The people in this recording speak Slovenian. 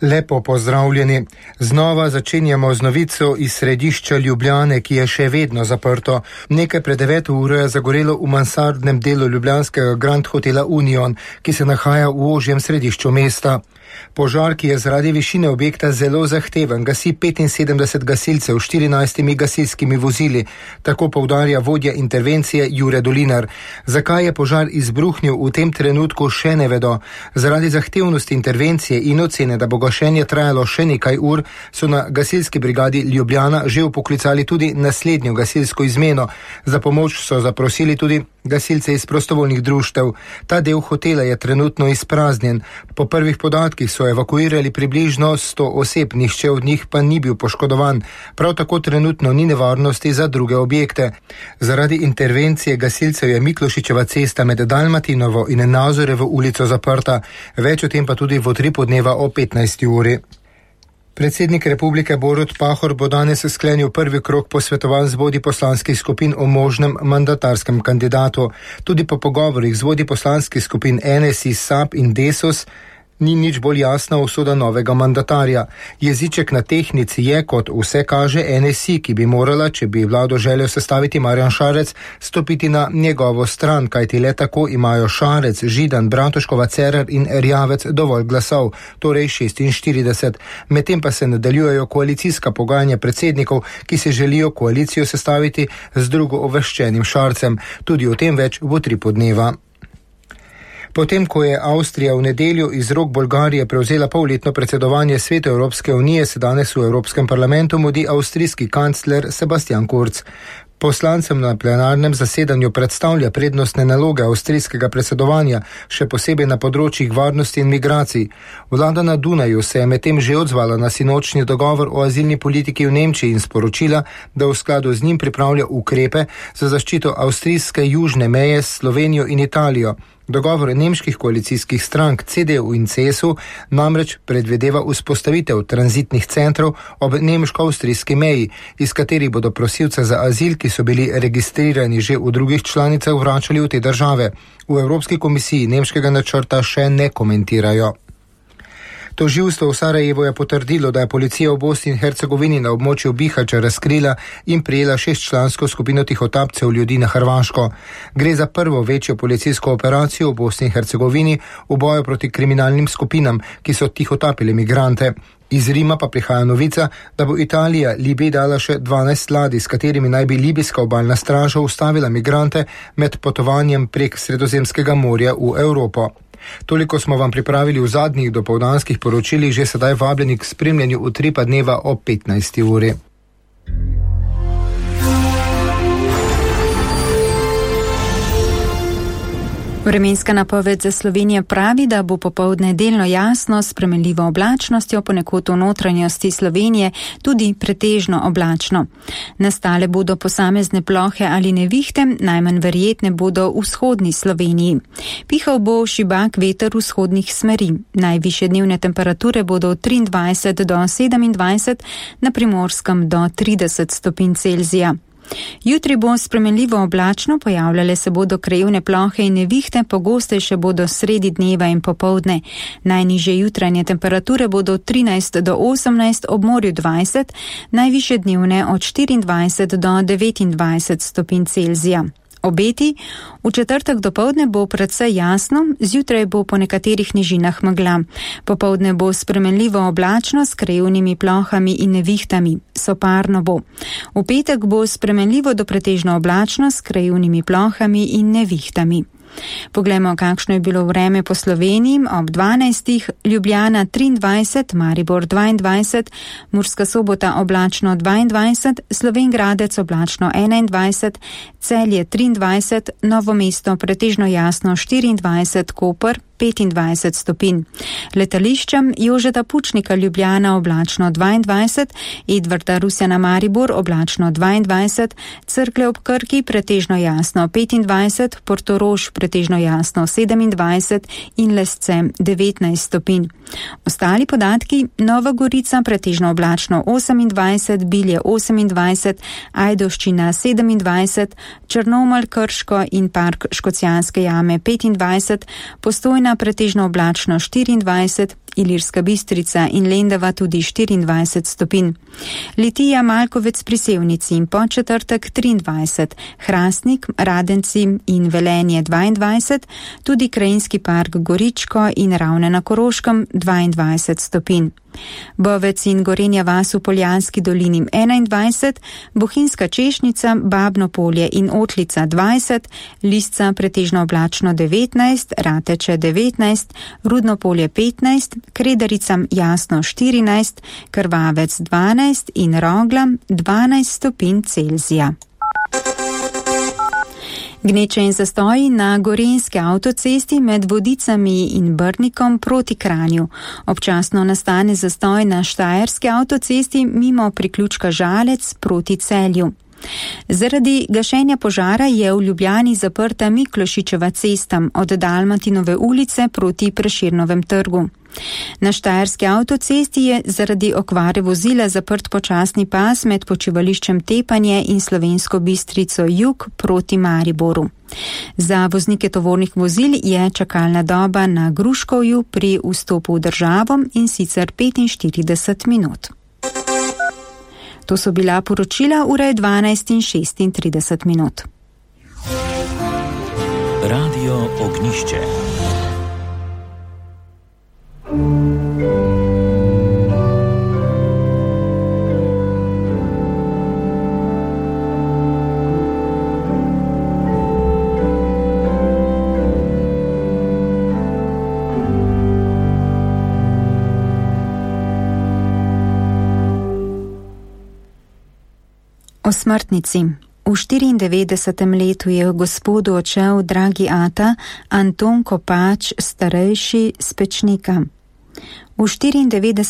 Lepo pozdravljeni. Znova začenjamo z novico iz središča Ljubljane, ki je še vedno zaprto. Nekaj pred 9 uro je zagorelo v mansardnem delu ljubljanskega Grand Hotela Union, ki se nahaja v ožjem središču mesta. Požar, ki je zaradi višine objekta zelo zahteven, gasi 75 gasilcev s 14 gasilskimi vozili, tako poudarja vodja intervencije Jure Dolinar. Zakaj je požar izbruhnil, v tem trenutku še ne vedo. Zaradi zahtevnosti intervencije in ocene, da bo gašenje trajalo še nekaj ur, so na gasilski brigadi Ljubljana že vpoklicali tudi naslednjo gasilsko izmeno. Za pomoč so zaprosili tudi gasilce iz prostovoljnih društev. Ta del hotela je trenutno izpraznjen. Po prvih podatkih so evakuirali približno 100 oseb, nihče od njih pa ni bil poškodovan. Prav tako trenutno ni nevarnosti za druge objekte. Zaradi intervencije gasilcev je Miklošičeva cesta med Dalmatinovo in Nazorevo ulico zaprta. Več o tem pa tudi v utripu dneva o 15. uri. Predsednik republike Borut Pahor bo danes sklenil prvi krog posvetovanj z vodji poslanskih skupin o možnem mandatarskem kandidatu. Tudi po pogovorih z vodji poslanskih skupin NSI, SAB in Desus ni nič bolj jasna usoda novega mandatarja. Jeziček na tehnici je, kot vse kaže, NSI, ki bi morala, če bi vlado želel sestaviti Marjan Šarec, stopiti na njegovo stran, kajti le tako imajo Šarec, Židan, Bratuškova, Cerar in Erjavec dovolj glasov, torej 46. Medtem pa se nadaljujejo koalicijska pogajanja predsednikov, ki se želijo koalicijo sestaviti z drugouvrščenim Šarcem. Tudi o tem več v utripu dneva. Potem, ko je Avstrija v nedeljo iz rok Bolgarije prevzela polletno predsedovanje Svetu Evropske unije, se danes v Evropskem parlamentu mudi avstrijski kancler Sebastian Kurz. Poslancem na plenarnem zasedanju predstavlja prednostne naloge avstrijskega predsedovanja, še posebej na področjih varnosti in migracij. Vlada na Dunaju se je medtem že odzvala na sinočnji dogovor o azilni politiki v Nemčiji in sporočila, da v skladu z njim pripravlja ukrepe za zaščito avstrijske južne meje s Slovenijo in Italijo. Dogovor nemških koalicijskih strank CDU in CSU namreč predvideva vzpostavitev tranzitnih centrov ob nemško-avstrijski meji, iz katerih bodo prosilce za azil, ki so bili registrirani že v drugih članicah, vračali v te države. V Evropski komisiji nemškega načrta še ne komentirajo. Tožilstvo v Sarajevu je potrdilo, da je policija v Bosni in Hercegovini na območju Bihaća razkrila in prijela 6-člansko skupino tihotapcev ljudi na Hrvaško. Gre za prvo večjo policijsko operacijo v Bosni in Hercegovini v boju proti kriminalnim skupinam, ki so tihotapili migrante. Iz Rima pa prihaja novica, da bo Italija Libiji dala še 12 ladij, s katerimi naj bi libijska obalna straža ustavila migrante med potovanjem prek Sredozemskega morja v Evropo. Toliko smo vam pripravili v zadnjih dopoldanskih poročilih, že sedaj vabljeni k spremljanju utripa dneva o 15. uri. Vremenska napoved za Slovenijo pravi, da bo popoldne delno jasno s spremenljivo oblačnostjo, ponekod v notranjosti Slovenije tudi pretežno oblačno. Nastale bodo posamezne plohe ali nevihte, najmanj verjetne bodo v vzhodni Sloveniji. Pihal bo šibak veter vzhodnih smeri. Najvišje dnevne temperature bodo od 23 do 27, na Primorskem do 30 stopinj Celzija. Jutri bo spremenljivo oblačno, pojavljale se bodo krajevne plohe in nevihte, pogostejše bodo sredi dneva in popoldne. Najnižje jutranje temperature bodo od 13 do 18, ob morju 20, najvišje dnevne od 24 do 29 stopinj Celzija. Obeti: v četrtek dopoldne bo precej jasno, zjutraj bo po nekaterih nižinah megla. Popoldne bo spremenljivo oblačno s krajevnimi plohami in nevihtami. Soparno bo. V petek bo spremenljivo do pretežno oblačno s krajevnimi plohami in nevihtami. Poglejmo, kakšno je bilo vreme po Sloveniji. Ob 12. Ljubljana 23, Maribor 22, Murska Sobota oblačno 22, Slovenj Gradec oblačno 21, Celje 23, Novo mesto pretežno jasno 24, Koper 25 stopinj. Letališčem Jožeta Pučnika Ljubljana oblačno 22, Edvarda Rusjana Maribor oblačno 22, Cerklje ob Krki pretežno jasno 25, Portorož pretežno jasno 27 in Lesce 19 stopinj. Ostali podatki: Nova Gorica pretežno oblačno 28, Bilje 28, Ajdovščina 27, Črnomelj, Krško in park Škocjanske jame 25, Postojna Postojna pretežno oblačno 24, Ilirska Bistrica in Lendava tudi 24 stopinj. Litija, Malkovec pri Sevnici in Podčetrtek 23, Hrastnik, Radenci in Velenje 22, tudi Krajinski park Goričko in Ravne na Koroškem 22 stopinj. Bovec in Gorenja vas v Poljanski dolini 21, Bohinjska Češnica, Babno Polje in Otlica 20, Lisca pretežno oblačno 19, Rateče 19, Rudno Polje 15, Kredaricam jasno 14, Krvavec 12 in Rogla 12 stopinj Celzija. Gneče in zastoji na gorenjski avtocesti med Vodicami in Brnikom proti Kranju. Občasno nastane zastoj na štajerski avtocesti mimo priključka Žalec proti Celju. Zaradi gašenja požara je v Ljubljani zaprta Miklošičeva cesta od Dalmatinove ulice proti Prešernovem trgu. Na štajerski avtocesti je zaradi okvare vozila zaprt počasni pas med počivališčem Tepanje in Slovensko Bistrico jug proti Mariboru. Za voznike tovornih vozil je čakalna doba na Gruškovju pri vstopu v državo in sicer 45 minut. To so bila poročila, ura je 12 in 36 minut. Radio Ognišče. O smrtnici. V 94. letu je gospodu odšel dragi ata Anton Kopač, starejši s Pečnika. V 94.